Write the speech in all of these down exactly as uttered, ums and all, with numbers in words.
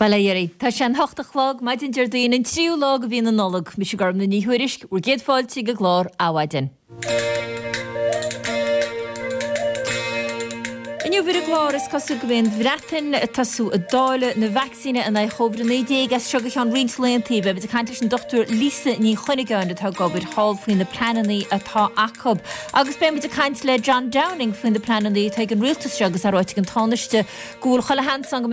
Bail ó Dhia oraibh. Tá sé an hocht a chlog, maidin Déardaoin, an tríú lá de mhí na Nollag. Mise Gormfhlaith Ní Thuairisg, bhur gcéad fáilte ag an gclár Adhmhaidin. Inniu ar an gclár, is cosúil go mbeidh an Bhreatain ag tosú ag dáileadh na vacsaíne in aghaidh Covid a naoi déag as seo go ceann roinnt laethanta. Beidh muid ag caint leis an Dochtúir Lisa Ní Chuinneagáin atá ag obair thall faoi na pleananna atá acu. Agus beidh muid ag caint le John Downing faoi na pleananna atá ag an rialtas seo agus é ráite ag an Tánaiste go bhfuil chuile sheans ann go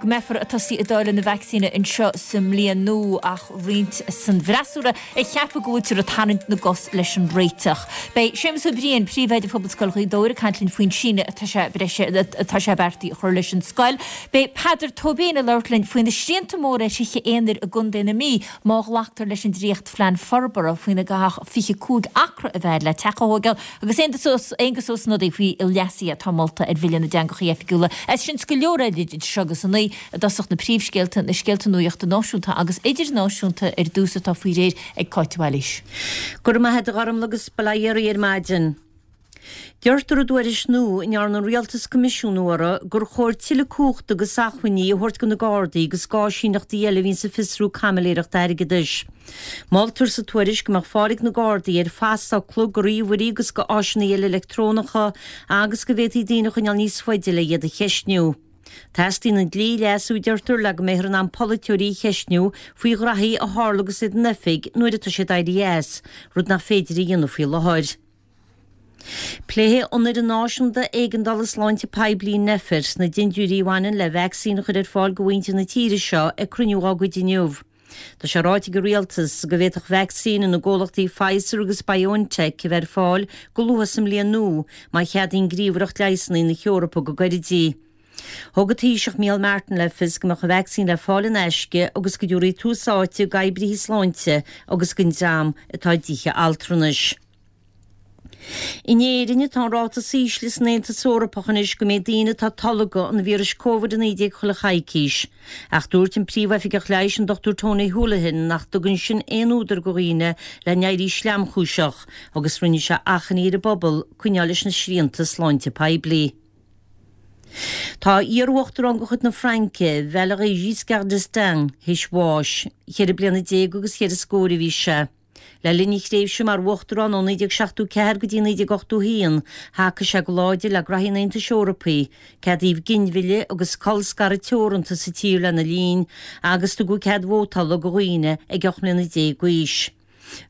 mbeifear ag tosaí ag dáileadh na vacsaíne anseo sa mbliain nua ach roinnt san bhfreasúra ag ceapadh go bhfuiltear ag tarraingt na gcos leis an réiteach. Beidh Séamus Ó Briain, Príomhoide Phobalscoil Ghaoth Dobhair ag caint linn faoin síneadh atá sé breise atá sé beartaithe a chur leis an scoil. Beidh Peadar Tóibín ag labhairt linn faoi na srianta móra ar thithe aonair i gContae na Mí má ghlactar leis an dréachtphlean forbartha faoina gcaithfeadh fiche cúig acra a bheith le teach a thógáil agus Aengus Ó Snodaigh faoi leasuithe atá molta ar Bhille na dTeangacha Oifigiúla. As sin 's go leor eile idir seo agus a naoi i dtosach na príomhscéalta, na scéalta nuachta náisiúnta agus idirnáisiúnta ar dtús atá faoi réir ag Cáit de Bhailís. Go raibh maith agat a Ghormfhlaith agus bail ó Dhia oraibh ar maidin. Deirtear i dtuairisc nua a ndearna an rialtas coimisiúnú uirthi gur chóir tuilleadh cumhachta agus acmhainní a thabhairt do na Gardaí agus d'áisíneachtaí eile a bhíonn ag fiosrú caimiléireacht airgeadais. Moltar sa tuairisc go mbeadh fáil ag na Gardaí ar phasfhocla do ríomhairí agus do áiseanna eile leictreonacha agus go bhféadfaí daoine a choinneáil níos faide le iad a cheistniú. Teastaíonn an dlí a leasú, a deirtear, le go mbeifear in ann polaiteoirí a cheistniú faoi ghraithí a tharla agus iad in oifig nuair atá siad éirithe as, rud nach féidir a dhéanamh faoi láthair. Pléifidh an Fhoireann Náisiúnta Éigeandála Sláinte Poiblí, Nphet, na dindiúirí a bhaineann le vacsaín a chur ar fáil do mhuintir na tíre seo ag cruinniú dá gcuid inniu. Tá sé ráite ag an Rialtas go bhféadfadh vacsaín na gcomhlachtaí Pfizer agus BioNTech a bheith ar fáil go luath sa mbliain nua má cheadaíonn Gníomhaireacht Leigheasanna na hEorpa go gairid í. Thug an Taoiseach Micheál Martin le fios go mbeadh an vacsaín le fáil in aisce agus go dtabharfaí tús áite d'oibrithe sláinte agus don dream atá i dtithe altranais. In Éirinn atá an ráta is ísle san Aontas Eorpach anois go mbeidh daoine atá tolgtha an víris Covid a naoi déag chuile choicís. Ach dúirt an Príomhoifigeach Leighis an Dochtúir Tony Holohan nach dtugann sin aon údar go dhaoine le n-éirí sleamchúiseach agus rinne sé achainí ar an bpobal coinneáil leis na srianta sláinte poiblí. Tá iar-uachtarán de chuid na Fraince, Valéry Giscard d'Estaing, théis bháis. Ceithre bliana déag agus ceithre scór a bhí sé. Le linn a thréimhse mar uachtarán ó naoi déag seachtó ceathair go dtí naoi déag ochtó a haon, thacaigh sé go láidir le graithí an Aontais Eorpaigh, ceadaíodh ginmhilleadh agus colscaradh teoranta sa tír lena linn, agus tugadh cead vótála do dhaoine ag ocht mbliana déag d'aois.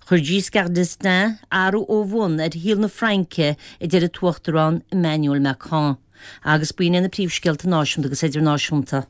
Chuir Giscard d'Estaing athrú ó bhun ar shaol na Fraince, a deir an tUachtarán Emmanuel Macron. Agus b'in iad na príomhscéalta náisiúnta agus idirnáisiúnta.